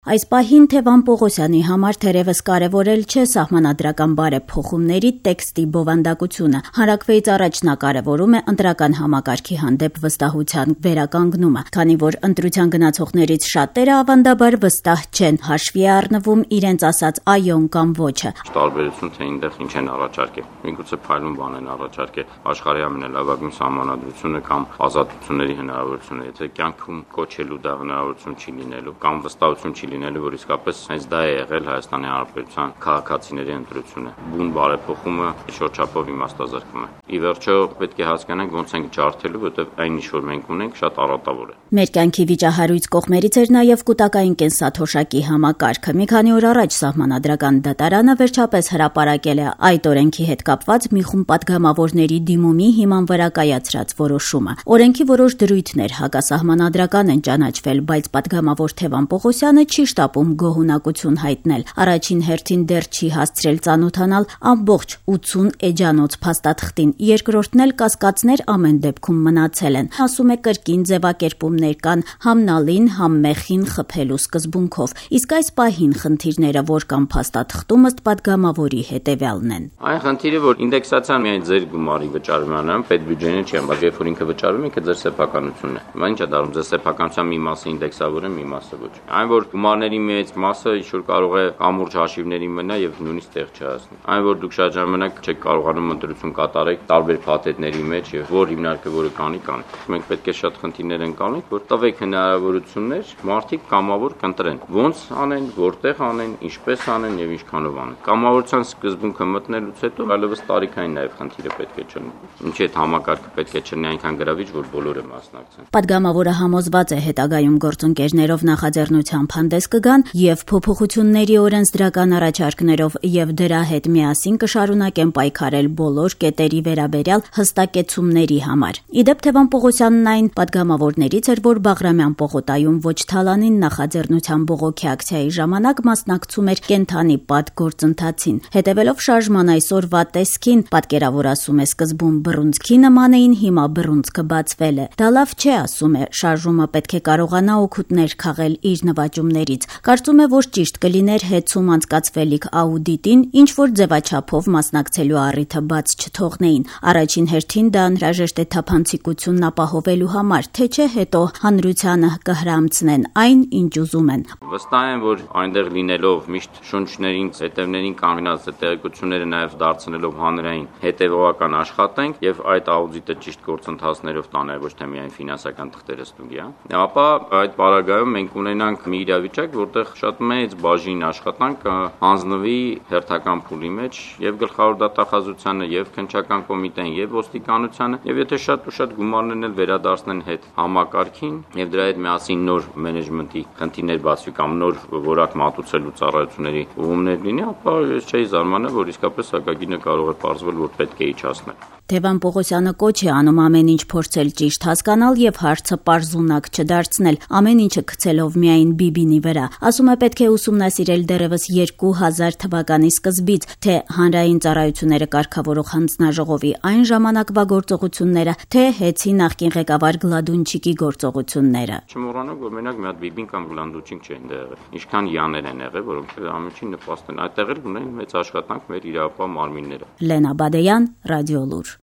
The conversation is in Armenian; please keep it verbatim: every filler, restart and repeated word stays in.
Այս պահին Թևան Պողոսյանի համար թերևս կարևորել չէ սահմանադրական բարեփոխումների տեքստի բովանդակությունը։ Հանրաքվեից առաջ նա կարևորում է ընտրական համակարգի հանդեպ վստահության վերականգնումը, քանի որ ընտրության գնացողներից շատերը ավանդաբար վստահ չեն, հաշվի է առնվում իրենց ասած այոն կամ ոչը։ Տարբերություն թե այնտեղ ինչ են առաջարկել։ Միգուցե փայլուն բան են առաջարկել, աշխարհի ամենալավագույն սահմանադրությունը կամ ազատությունների հնարավորությունը, եթե կյանքում կոչելու դա հնարավորություն չի լինելու կամ վստահություն չի լինելու, որ իսկապես հենց դա է եղել Հայաստանի Հանրապետության քաղաքացիների ընտրությունը։ Բուն բարեփոխումը շրջապով իմաստազրկում է։ Ի վերջո պետք է հասկանանք ոնց ենք ջարդելու, որովհետև այն ինչ որ մենք ունենք շատ առատավոր է։ Մեր կյանքի վիճահարույց կողմերից էր նաև կൂട്ടակային կենսաթոշակի համակարգը։ Մի քանի օր առաջ Սահմանադրական դատարանը վերջապես հրապարակել է այդ օրենքի հետ կապված մի խումբ պատգամավորների դիմումի հիման վրա կայացրած որոշումը։ Օրենքի որոշ դրույթներ հակասահմանադրական են ճանաչվել, բայց պատգամավոր Թևան Պողոսյանը չի շտապում գոհունակություն հայտնել։ Առաջին հերթին դեռ չի հասցրել ծանոթանալ ամբողջ ութսուն էջանոց փաստաթղթին, երկրորդն էլ կասկածներ ամեն դեպքում մնացել են։ Ասում է կրկին ձևակերպումներ կան համ նալին, համ մեխին խփելու սկզբունքով։ Իսկ այս պահին խնդիրները որ կան փաստաթղթում ըստ պատգամավորի հետևյալն են։ Այն խնդիրը, որ ինդեքսացիան միայն ձեր գումարի վճարումն է, պետբյուջեն չի, բայց երբ որ ինքը վճարում է, ինքը ձեր սեփականությունն է։ Հիմա ի՞նչ է դառնում, ձեր սեփականության մի մասը ինդեքսավոր է, մի մասը ոչ։ Այն որ գումարների մեծ մասը ինչ-որ կարող է կամուրջ հաշիվների մնա եւ նույնիսկ տեղ չհասնի։ Այն որ դուք շատ ժամանակ չեք կարողանում ընտրություն կատարեք տարբեր փաթեթների մեջ եւ որ հիմնարկը որը կանի կան։ Մենք պետք է շատ խնդիրներ ընկալենք, որ տվեք հնարավորություններ մարդիկ կամավոր կընտրեն։ Ոնց անեն, որտեղ անեն, ինչպես անեն եւ ինչքանով անեն։ Կամավորության սկզբունքը մտնելուց հետո այլևս տարիքային նաեւ խնդիրը պետք է չլինի։ Ինչի՞ այդ համակարգը պետք է չլինի այնքան գրավիչ, որ բոլորը մասնակցեն։ Պատգամավորը համոզված է հետագայում գործընկերներով նախաձեռնությամբ հանդես կգան եւ փոփոխությունների օրենսդրական առաջարկներով եւ դրա հետ միասին կշարունակեն պայքարել բոլոր կետերի վերաբերյալ հստակեցումների համար։ Իդեպ Թևան Պողոսյանն այն պատգամավորներից էր, որ Բաղրամյան պողոտայում ոչ թալանին նախաձեռնության բողոքի ակցիայի ժամանակ մասնակցում էր կենթանի պատ գործընթացին։ Հետևելով շարժման այսօրվա տեսքին, պատկերավոր ասում է սկզբում բռունցքի նման էին, հիմա բռունցքը բացվել է։ Դա լավ չէ, ասում է, շարժումը պետք է կարողանա օգուտներ քաղել իր նվաճումներից։ Կարծում է, որ ճիշտ կլիներ հետցում անցկացվելիք աուդիտին, ինչ որ ձևաչափով մասնակցելու առիթը բաց չթողնեին։ Առաջին հերթին դա անհրաժեշտ է թափանցիկությունն ապահովելու համար, թե չէ հետո հանրությանը կհրամցնեն այն, ինչ ուզում են։ Վստահ եմ, որ այնտեղ լինելով միշտ շունչներին, հետևներին կանգնած տեղեկությունները նաև դարձնելով հանրային հետևողական աշխատենք եւ այդ աուդիտը ճիշտ գործընթացներով տանել, ոչ թե միայն ֆինանսական թղթերը ստուգիա, ապա այդ պարագայում մենք ունենանք մի իրավիճակ, որտեղ շատ մեծ բաժին աշխատանք հանձնվի հերթական փուլի մեջ եւ գլխավոր դատախազությանը եւ քննչական կոմիտեն եւ ոստիկանությանը եւ եթե շատ ու շատ գումարներն էլ վերադարձնեն հետ համակարգին եւ դրա հետ միասին նոր մենեջմենտի խնդիրներ բացվի կամ նոր որակ մատուցելու ծառայությունների ուղումներ լինի, ապա ես չէի զարմանա, որ իսկապես հակագինը կարող է պարզվել, որ պետք է իջացնել։ Թևան Պողոսյանը կոչ է անում ամեն ինչ փորձել ճիշտ հասկանալ եւ հարցը պարզունակ չդարձնել, ամեն ինչը գցելով միայն Բիբինի վրա։ Ասում է պետք է ուսումնասիրել դեռևս երկու հազար թվականի սկզբից, թե հանրային ծառայությունները կարգավորող հանձնաժողովի այն ժամանակվա գործողությունները, թե հեցի նախկին ղեկավար Գլադունչիկի գործողությունները։ Չմոռանանք, որ մենակ մի հատ Բիբին կամ Գլադունչիկ չեն եղել։ Ինչքան յաներ են եղել, որոնք ամենին նպաստ են։ Այդտեղ էլ ունեն մեծ աշխատանք մեր իրավապահ մարմինները։ Լենա Բադեյան, Ռադիոլուր։